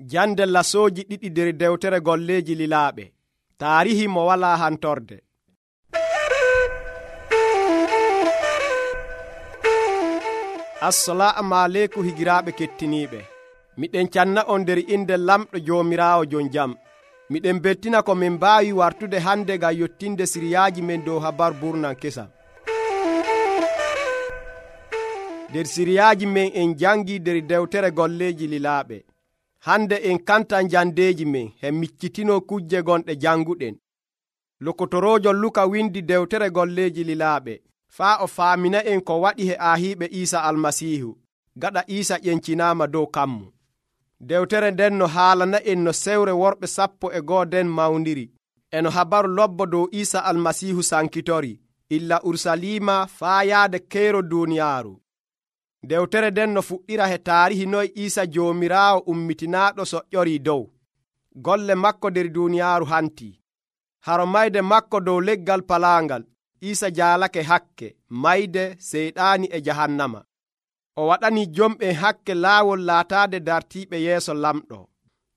Jande lasooji ɗiɗi nder dewtere golleeji lilaaɓe. Taarihi mo walaa hantorde. Assalaamu aleykum higiraaɓe kettiniiɓe. Miɗen canna on nder inde lamɗo Joomiraawo jon jam. Miɗen beltina ko min mbaawi wartude hande ngam yottinde siriyaaji men dow habar burnan kesam. Nder siriyaaji men en jangi nder dewtere golleeji lilaaɓe. Hande en kantan jandeeji men he miccitino kujje gonɗe janguɗen. Lokotoroojo Luka windi dewtere golleeji lilaaɓe faa o faamina en ko waɗi he aahiiɓe Iisa Almasiihu gaɗa Iisa ƴencinaama dow kammu. Dewtere nden no haalana en no sewre worɓe 11 den mawndiri eno habaru lobbo dow Iisa Almasiihu sankitori illa Urusalima faa yaade keero duuniyaaru. Dewtere nden no fuɗɗira he taarihi noy Iisa Joomiraawo ummitinaaɗo soƴƴorii dow. Golle makko nder duuniyaaru hantii. Haro mayde makko dow leggal palaangal, Iisa jaalake hakke, mayde seyɗaani e jahannama. O waɗanii jomɓen hakke laawol laataade dartiiɓe yeeso lamɗo.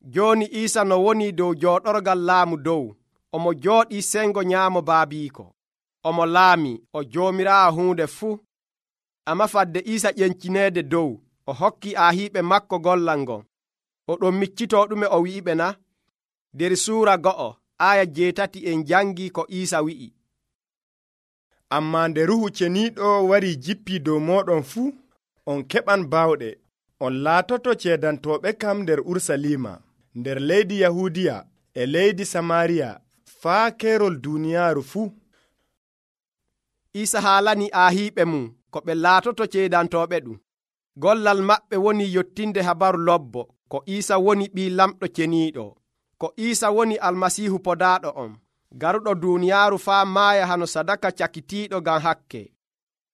Jooni Iisa no woni dow jooɗorgal laamu dow, omo jooɗii sengo nyaamo baabiiko. Omo laamii, o Joomiraawo huunde fuu. Amma fadde Iisa ƴencineede dow, o hokkii aahiiɓe makko gollal ngon. O ɗon miccitoo ɗume o wi'iɓe na? Der suura 2 aya 8 en jangii ko Iisa wi'i. Ammaa nde Ruuhu Ceniiɗo warii jippii dow mooɗon fuu, on keɓan baawɗe. On laatoto ceedantooɓe kam nder Urusalima, nder leydi Yahuudiya e leydi Samaariya, faa keerol duuniyaaru fuu. Iisa haalanii aahiiɓe mum ko ɓe laatoto ceedantooɓe ɗum. Gollal maɓɓe woni yottinde habaru lobbo ko Iisa woni ɓii lamɗo ceniiɗo, ko Iisa woni Almasiihu podaaɗo on, garuɗo duuniyaaru faa maaya hano sadaka cakitiiɗo ngam hakke.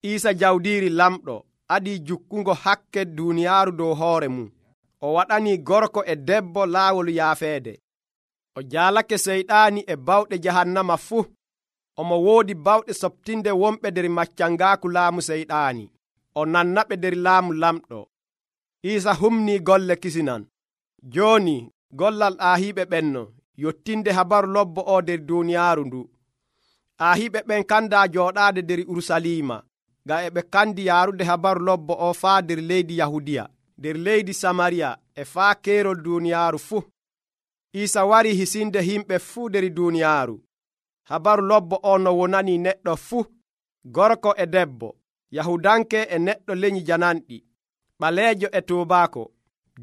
Iisa jawdiiri lamɗo adii jukkungo hakke duuniyaaru dow hoore mum. O waɗanii gorko e debbo laawol yaafeede. O jaalake seyɗaani e bawɗe jahannama fuu. Omo woodi bawɗe soɓtinde wonɓe nder maccangaaku laamu seyɗaani. O nannaɓe nder laamu lamɗo. Iisa humnii golle kisinan. Jooni gollal aahiiɓe ɓenno yottinde habaru lobbo o nder duuniyaaru ndu. Aahiiɓe ɓen kandaa jooɗaade nder Urusalima, ngam e ɓe kandi yaarude habaru lobbo o faa nder leydi Yahudiya, nder leydi Samariya e faa keerol duuniyaaru fuu. Iisa warii hisinde himɓe fuu nder duuniyaaru. Habaru lobbo o no wonanii neɗɗo fuu, gorko e debbo, Yahudanke e neɗɗo leñi jananɗi, ɓaleejo e tuubaako,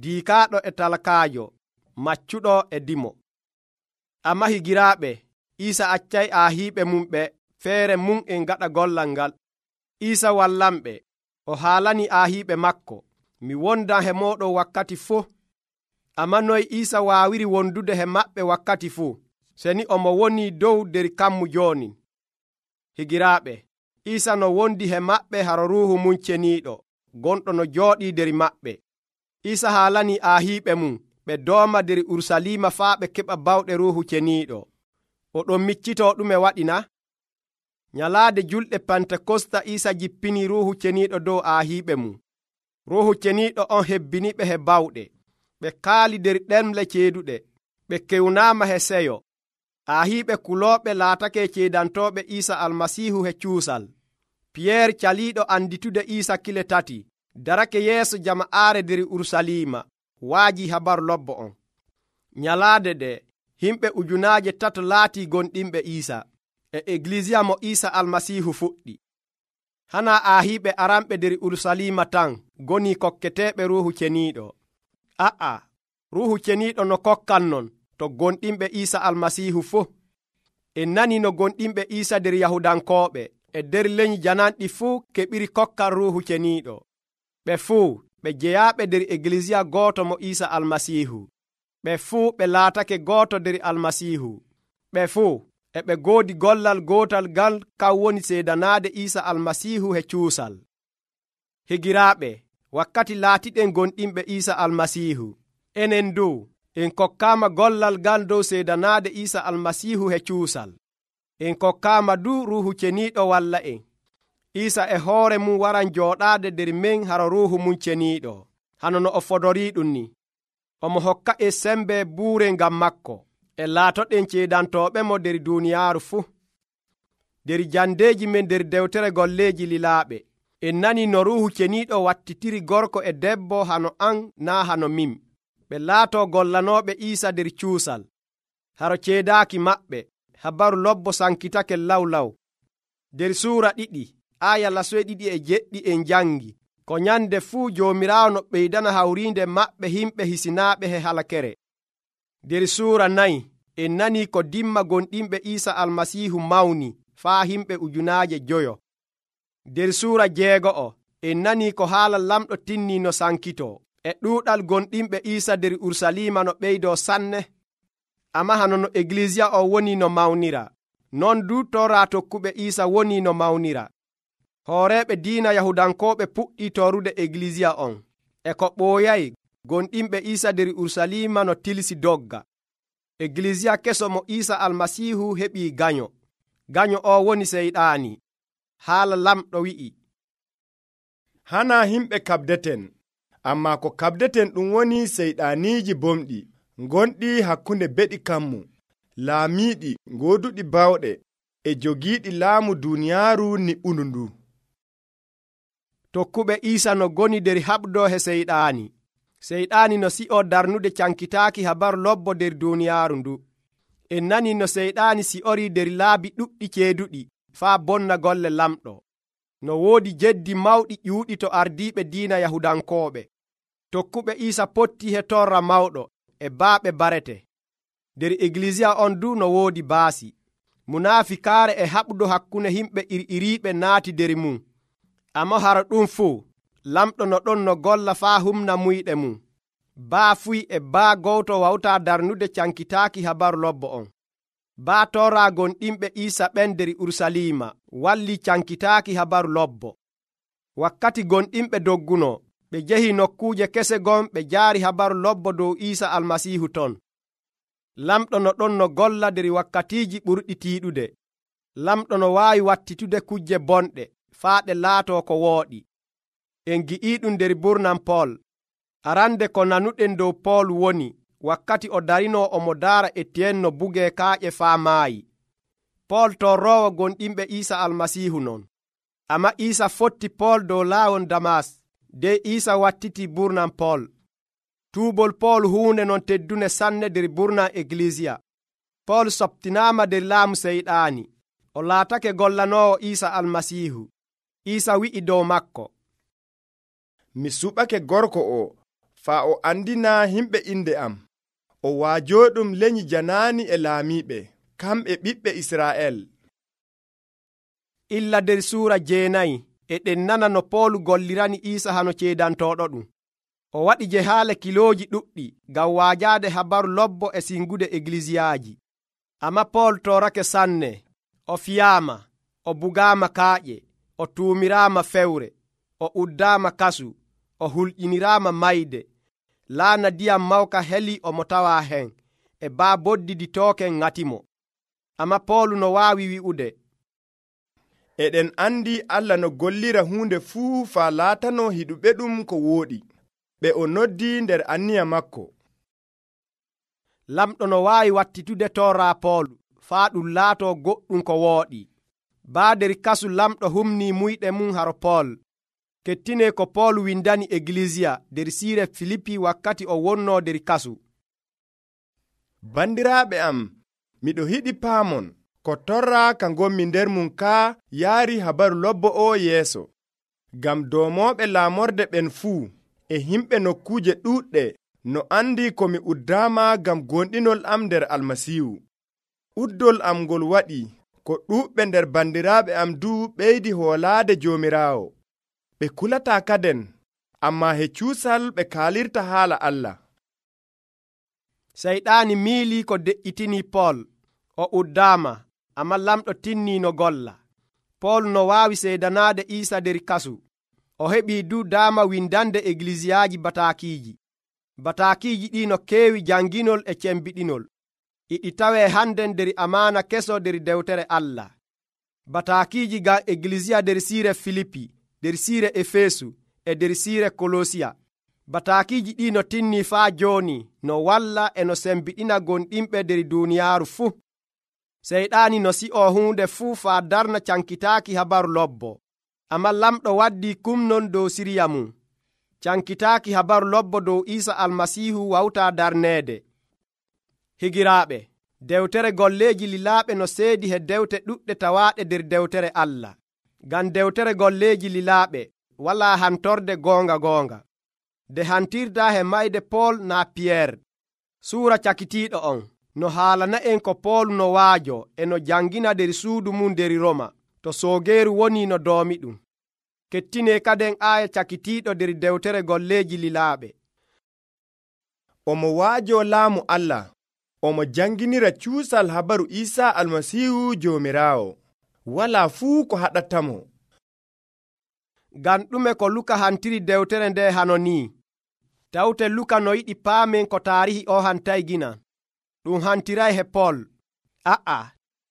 diikaaɗo e talkaajo, maccuɗo e dimo. Amma higiraaɓe, Iisa accay aahiiɓe mum ɓe feere mum en gaɗa gollal ngal. Iisa wallanɓe, o haalanii aahiiɓe makko, mi wondan he mooɗon wakkati fuu. Amma noy Iisa waawiri wondude he maɓɓe wakkati fuu, seni omo wonii dow nder kammu jooni. Higiraaɓe, Iisa no wondi he maɓɓe haro Ruuhu mum Ceniiɗo, gonɗo no jooɗii nder maɓɓe. Iisa haalanii aahiiɓe mum ɓe dooma nder Urusalima faa ɓe keɓa bawɗe Ruuhu Ceniiɗo. O ɗon miccitoo ɗume waɗi na? Nyalaade julɗe Pentekosta Iisa jippinii Ruuhu Ceniiɗo dow aahiiɓe mum. Ruuhu Ceniiɗo on hebbiniɓe he bawɗe. Ɓe kaali nder ɗemle ceeduɗe. Ɓe kewnaama he seyo. Aahiiɓe kulooɓe laatake ceedantooɓe Iisa Almasiihu he cuusal. Piyeer caliiɗo anditude Iisa kile 3 darake yeeso jama'aare nder Urusalima waajii habaru lobbo on. Nyalaade ɗe himɓe 3,000 laatii gonɗinɓe Iisa e Eglisiya mo Iisa Almasiihu fuɗɗi. Hanaa aahiiɓe aranɓe nder Urusalima tan gonii kokketeeɓe Ruuhu Ceniiɗo. Ruuhu Ceniiɗo no kokkan non to gonɗinɓe Iisa Almasiihu fuu. En nanii no gonɗinɓe Iisa nder Yahudankooɓe e nder leñi jananɗi fuu keɓiri kokkan Ruuhu Ceniiɗo. Ɓe fuu ɓe jeyaaɓe nder Eglisiya gooto mo Iisa Almasiihu. Ɓe fuu ɓe laatake gooto nder Almasiihu. Ɓe fuu e ɓe goodi gollal gootal ngal kan woni seedanaade Iisa Almasiihu he cuusal. Higiraaɓe, wakkati laatiɗen gonɗinɓe Iisa Almasiihu, enen dow en kokkaama gollal ngal dow seedanaade Iisa Almasiihu he cuusal. En kokkaama du Ruuhu Ceniiɗo walla en. Iisa e hoore mum waran jooɗaade nder men haro Ruuhu mum Ceniiɗo, hano no o fodorii ɗum ni. omo hokka e sembe buure ngam makko e laatoɗen ceedantoɓe mo nder duniyaaru fuu. nder jandeeji men nder dewtere golleeji lilaaɓe en nani no ruuhu ceniiɗo wattitiri gorko e debbo hano an naa hano min, ɓe laato gollanooɓe Iisa nder cuusal. haro ceedaaki maɓɓe habaru lobbo sankitake lawlaw. nder suura 2 aya 2 en jangi ko nyande fuu Joomiraawo no ɓeydana hawriinde maɓɓe himɓe hisinaaɓe he halakere. nder suura 4 en nani ko dimma gonɗinɓe Iisa almasiihu mawni faa himɓe 5,000. nder suura 6 en nani ko haala lamɗo tinni no sankitoo e ɗuuɗal gonɗinɓe Iisa nder Urusalima no ɓeydoo sanne. amma hano no Eglisiya o woni no mawnira, non du tora tokkuɓe Iisa woni no mawnira. hooreeɓe diina Yahudankooɓe puɗɗi torude Eglisiya on e ko ɓooyay gonɗinɓe Iisa nder Urusalima no tilsi dogga. Eglisiya keso mo Iisa almasiihu heɓii ganyo. ganyo o woni Seyɗaani. haala lamɗo wi'i, hana himɓe kabdeten, amma ko kabdeten ɗum woni seyɗaaniiji bomɗi gonɗi hakkunde beɗi kammu, laamiiɗi gooduɗi bawɗe e jogiiɗi laamu duniyaaru niɓɓundu ndu. tokkuɓe Iisa no goni nder haɓdo he Seyɗaani. Seyɗaani no si'o darnude cankitaaki habaru lobbo nder duniyaaru ndu. en nani no Seyɗaani si'ori nder laabi ɗuɗɗi ceeduɗi faa bonna golle lamɗo. no woodi jeddi mawɗi ƴuuɗi to ardiiɓe diina Yahudankooɓe. tokkuɓe Iisa potti he torra mawɗo e baaɓe barete. nder Eglisiya on du no woodi baasi. munaafikaare e haɓdo hakkunde himɓe iriiriiɓe naati nder mum. amma hara ɗum fuu lamɗo no ɗon no golla faa humna muyɗe mum. baa fuy e baa gowto wawta darnude cankitaaki habaru lobbo on. baa tora gonɗinɓe Iisa ɓen nder Urusalima walli cankitaaki habaru lobbo. wakkati gonɗinɓe dogguno ɓe jehi nokkuuje kese gon ɓe jaari habaru lobbo dow Iisa almasiihu ton. lamɗo no ɗon no golla nder wakkatiiji ɓurɗi tiiɗude. lamɗo no waawi wattitude kujje bonɗe faa ɗe laatoo ko wooɗi. en gi'iiɗum nder burnan Pool. arande ko nanuɗen dow Pool woni wakkati o darinoo omo daara Etiyen no bugee kaaƴe faa maayi. Pool torroowo gonɗinɓe Iisa almasiihu non. amma Iisa fotti Pool dow laawol Damas dey Iisa wattiti burnan Pool. tuubol Pool huunde non teddune sanne nder burnan Eglisiya. Pool soɓtinaama nder laamu Seyɗaani. o laatake gollanoowo Iisa almasiihu. Iisa wi'i dow makko, mi suɓake gorko o faa o andina himɓe inde am. o waajoɗum lenyi janaani e laamiiɓe, kamɓe ɓiɓɓe Israa'el. illa nder suura 9 eɗen nana no Pool gollirani Iisa hano ceedantooɗo ɗum. o waɗi jehaale kilooji ɗuɗɗi ngam waajaade habaru lobbo e singude Eglisiyaaji. amma Pool torake sanne. o fiyaama, o bugaama kaaƴe, o tuumiraama fewre, o uddaama kasu, o hulƴiniraama mayde. laana diyam mawka heli omo tawa hen e baa boddiditooken ŋatimo. amma Poolu no waawi wi'ude, eɗen andi Allah no gollira huunde fuu faa laatano hiɗuɓe ɗum ko wooɗi, ɓe o noddi nder anniya makko. lamɗo no waawi wattitude torra Poolu faa ɗum laato goɗɗum ko wooɗi. baa nder kasu lamɗo humni muyɗe mum haro Pool. kettine ko Pool windani Eglisiya nder siire Filipi wakkati o wonnoo nder kasu. bandiraaɓe am, miɗo hiɗi paamon ko torra ka ngommi nder mum kaa yaari habaru lobbo o yeeso, ngam doomooɓe laamorde ɓen fuu e himɓe nokkuuje ɗuuɗɗe no andi ko mi uddaama ngam gonɗinol am nder almasiihu. uddol am ngol waɗi ko ɗuuɓɓe nder bandiraaɓe am du ɓeydi hoolaade Joomiraawo. ɓe kulataa kaden, amma he cuusal ɓe kaalirta haala Allah. Seyɗaani miilii ko de'itini Pool. o uddaama, amma lamɗo tinni no golla. Pool no waawi seedanaade Iisa nder kasu. o heɓii du daama windande Eglisiyaaji bataakiiji. bataakiiji ɗi no keewi janginol e cembiɗinol. iɗi tawee hannden nder amaana keso nder dewtere Allah. bataakiiji ngam Eglisiya nder siire Filipi, nder siire Efesu e nder siire Kolosiya. Bataakiiji ɗi no tinni faa jooni no walla e no sembiɗina gonɗinɓe nder duuniyaaru fuu. Seyɗaani no si'oo huunde fuu faa darna cankitaaki habaru lobbo. Ammaa lamɗo waddii kumnon dow sirya mum. Cankitaaki habaru lobbo dow Iisa Almasiihu wawtaa darneede. Higiraaɓe, dewtere golleeji lilaaɓe no seedi he dewte ɗuɗɗe tawaaɗe nder dewtere Allah. Ngam dewtere golleeji lilaaɓe walaa hantorde goonga. Nde hantirdaa he mayde Pool naa Piyeer. Suura cakitiiɗo on no haalana'en ko Pool no waajo e no jangina nder suudu mum nder Roma, to soogeeru woni no doomi ɗum. Kettinee kaden aaya cakitiiɗo nder dewtere golleeji lilaaɓe. Omo waajo laamu Allah, omo janginira cuusal habaru Iisa Almasiihu Joomiraawo. Walaa fuu ko haɗatamo. Ngam ɗume ko Luka hantiri dewtere nde hano ni? Tawte Luka no yiɗi paamen ko taarihi o hantay gina. Ɗum hantiray he Pool.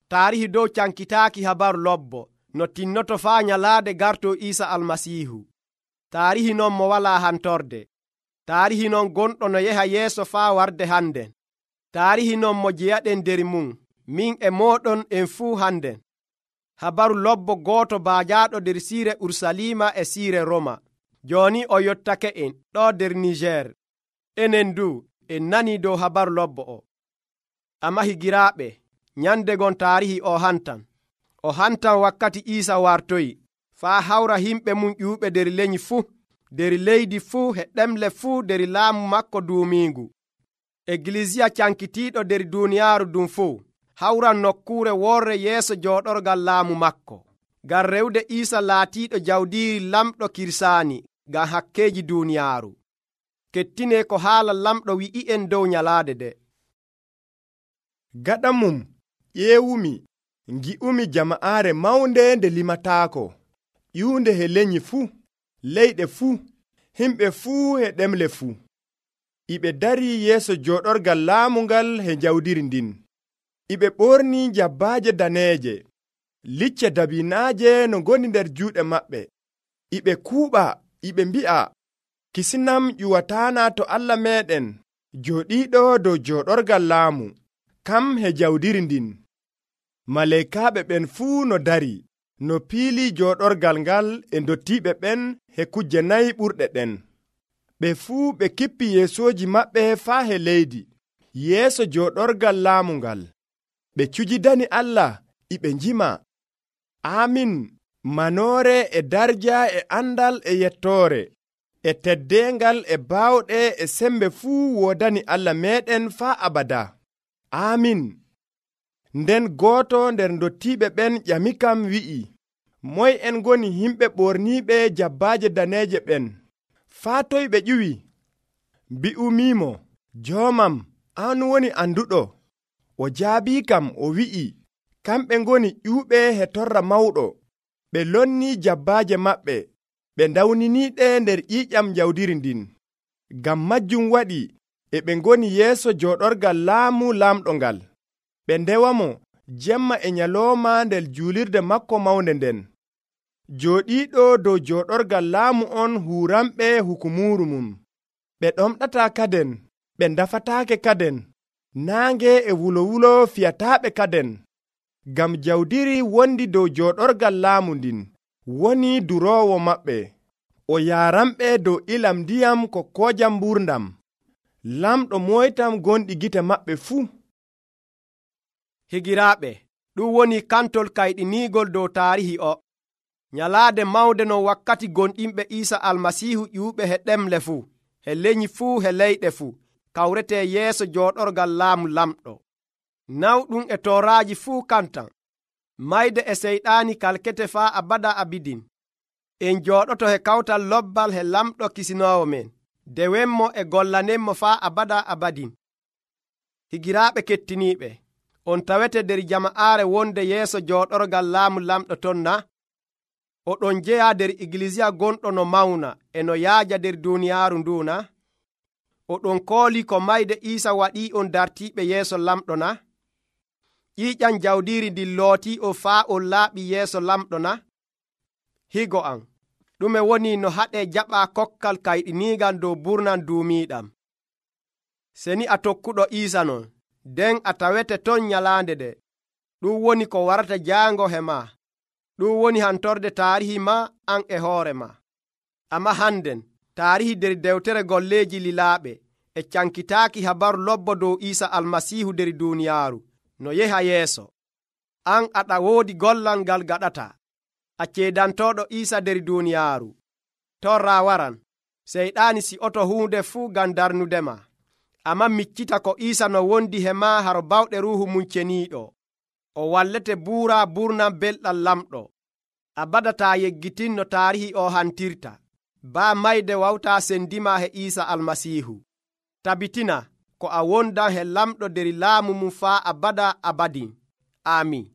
Taarihi dow cankitaaki habaru lobbo no tinnoto faa nyalaade garto Iisa Almasiihu. Taarihi non mo walaa hantorde. Taarihi non gonɗo no yeha yeeso faa warde hande. Taarihi non mo jeyaɗen nder mum, min e mooɗon en fuu hande. Habaru lobbo gooto baajaaɗo nder siire Urusalima e siire Roma. Jooni o yottake en ɗo nder Niger. Enen du en nanii dow habaru lobbo o. Ammaa higiraaɓe, nyande gon taarihi o hantan wakkati Iisa wartoyi faa hawra himɓe mum ƴuuɓe nder leñi fuu, nder leydi fuu e ɗemle fuu nder laamu makko duumiingu. Egilisiya cankitiiɗo nder duuniyaaru ɗum fuu hawran nokkuure worre yeeso jooɗorgal laamu makko, ngam rewde Iisa laatiiɗo jawdiiri lamɗo kirsaani ngam hakkeeji duuniyaaru. Kettinee ko haala lamɗo wi'i'en dow nyalaade de. Gaɗa mum ƴeewumi, ngi'umi jama'aare mawnde nde limataako, ƴiwnde he leñi fuu, leyɗe fuu, himɓe fuu e ɗemle fuu. Iɓe darii yeeso jooɗorgal laamu ngal he jawdiri ndin. Iɓe ɓornii jabbaaje daneeje, licce dabinaaje no ngoni nder juuɗe maɓɓe. Iɓe kuuɓa, iɓe mbi'a, kisinam ƴuwataana to Allah meeɗen, jooɗiiɗo dow jooɗorgal laamu, kam he jawdiri ndin. Maleykaaɓe ɓen fuu no dari, no piili jooɗorgal ngal e ndottiiɓe ɓen he kujje nayi ɓurɗe ɗen. Ɓe fuu ɓe kippi yeesooji maɓɓe faa he leydi, yeeso jooɗorgal laamu ngal. Ɓe cujidani Allah, iɓe njima, Amin, manoore e darja e andal e yettoore, e teddeengal e baawɗe e sembe fuu woodani Allah meeɗen faa abada. Amin. Nden gooto nder ndottiiɓe ɓen ƴamikam wi'i, moy en ngoni himɓe ɓorniiɓe jabbaaje daneeje ɓen? Faa toy ɓe ƴuwi? Mbi'umiimo, joomam, an woni anduɗo. O jaabiikam o wi'i, kamɓe ngoni ƴuuɓe he torra mawɗo. Ɓe lonnii jabbaaje maɓɓe, ɓe ndawniniiɗe nder ƴiiƴam jawdiri ndin. Ngam majjum waɗi e ɓe ngoni yeeso jooɗorgal laamu lamɗo ngal. Ɓe ndewamo jemma e nyalooma nder juulirde makko mawnde nden. Jooɗiiɗo dow jooɗorgal laamu on huuramɓe hukumuuru mum. Ɓe ɗomɗataa kaden, ɓe ndafataake kaden, naange e wulo fiyataaɓe kaden. Ngam jawdiri wondi dow jooɗorgal laamu ndin woni duroowo maɓɓe. O yaaranɓe dow ilam ndiyam ko koojam mburdam. Lamɗo moytam gonɗi gite maɓɓe fuu. Higiraaɓe, ɗum woni kantol kayɗiniigol dow taarihi o. Nyalaade mawnde non wakkati gonɗinɓe Iisa Almasiihu ƴuuɓe he ɗemle fuu, he leñi fuu he leyɗe fuu, kawretee yeeso jooɗorgal laamu lamɗo. Nawɗum e tooraaji fuu kantan. Mayde e seyɗaani kalkete faa abada abidin. En jooɗoto he kawtal lobbal he lamɗo kisinoowo men, dewenmo e gollanenmo faa abada abadin. Higiraaɓe kettiniiɓe, on tawete nder jama'aare wonde yeeso jooɗorgal laamu lamɗo ton na? Oɗon jeya nder iglesia gonɗo no mawna e no yaaja nder duuniyaaru ndu na? Oɗon kooli ko mayde Iisa waɗii on dartiiɓe yeeso lamɗo na? ƴiiƴam jawdiiri ndin lootii o faa on laaɓi yeeso lamɗo na? Higo am, ɗume woni no haɗe jaɓa kokkal kayɗiniigal dow burnan duumiiɗam. Seni a tokkuɗo Iisa non, nden a tawete ton nyalaande de. Ɗum woni ko warata jaango he ma. Ɗum woni hantorde taarihi ma an e hoore ma. Amma hannden taarihi der dewtere golleeji lilaaɓe e cankitaaki habaru lobbo dow Iisa Almasiihu der duuniyaaru no yeha yeeso. An aɗa woodi gollal ngal gaɗata. A ceedantooɗo Iisa der duuniyaaru. Torra waran, seyɗaani si'oto huunde fuu ngam darnudema. Amma miccita ko Iisa no wondi he ma haro bawɗe Ruuhu mum ceniiɗo. O wallete buura burnan belɗam lamɗo. A badataa yeggitinno taarihi o hantirta. Baa mayde wawtaa sendima he Iisa Almasiihu. Tabitina ko a wondan he lamɗo der laamu mum faa abada abadin. Aamin.